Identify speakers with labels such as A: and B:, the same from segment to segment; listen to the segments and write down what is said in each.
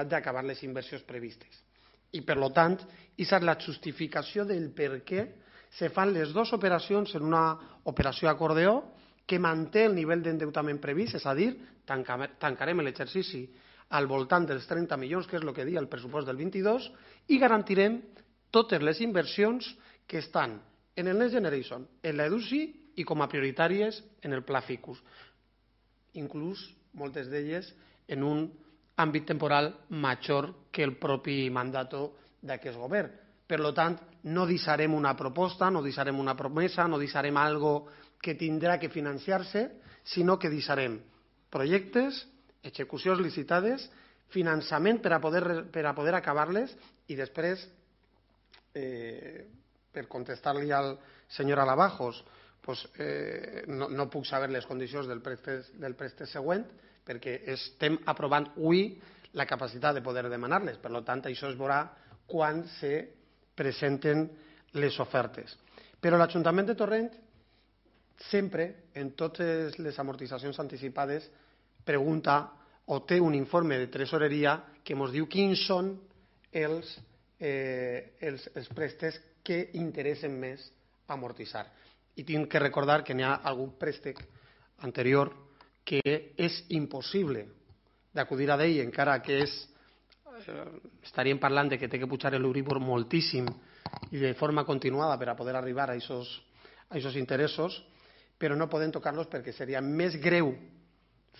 A: d'acabar les inversions previstes. I, per tant, aquesta és la justificació del per què se fan les dues operacions en una operació acordeó que manté el nivell d'endeutament previst, és a dir, tancarem l'exercici al voltant dels 30 milions, que és el que diu el pressupost del 22, i garantirem totes les inversions que estan en el Next Generation, en l'EDUSI i com a prioritàries en el Pla Ficus, inclús moltes d'elles en un àmbit temporal major que el propi mandato d'aquest govern. Per tant, no deixarem una proposta, no deixarem una promesa, no deixarem algo que tindrà que financiar-se, sinó que deixarem projectes, execucions licitades, finançament per a poder acabar-les i després, per contestar-li al senyor Alabajos, no puc saber les condicions del préstec següent perquè estem aprovant avui la capacitat de poder demanar-les. Per tant, això es veurà quan se presenten les ofertes. Però l'Ajuntament de Torrent sempre, en totes les amortitzacions anticipades, pregunta o té un informe de tresoreria que ens diu quins són els préstecs que interessen més amortitzar. I tinc que recordar que n'hi ha algun préstec anterior que és impossible d'acudir a ell, encara que estaríem parlant de que té que pujar l'Euribor moltíssim i de forma continuada per a poder arribar a aquests interessos, però no podem tocar-los perquè seria més greu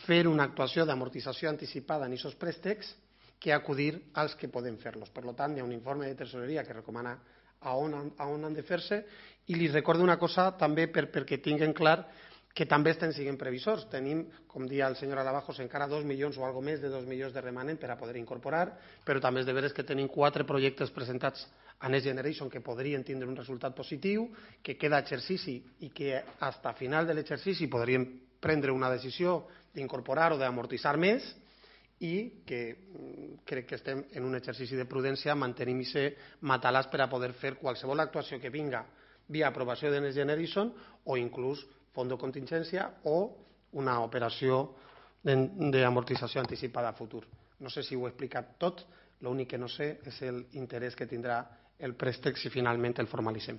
A: fer una actuació d'amortització anticipada en aquests préstecs que acudir als que podem fer-los. Per tant, hi ha un informe de tresoreria que recomana a on han de fer-se, i li recordo una cosa també perquè tinguin clar que també estem sent previsors. Tenim, com deia el senyor Alabajos, encara 2 milions o algo més de 2 milions de remanent per a poder incorporar, però també és de veres que tenim 4 projectes presentats a Next Generation que podrien tindre un resultat positiu, que queda exercici i que fins a final de l'exercici podríem prendre una decisió d'incorporar o d'amortitzar més, i que crec que estem en un exercici de prudència, mantenim aquest matalàs per a poder fer qualsevol actuació que vinga via aprovació de Next Generation o inclús fons de contingència o una operació d'amortització anticipada a futur. No sé si ho he explicat tot, l'únic que no sé és l'interès que tindrà el préstec si finalment el formalitzem.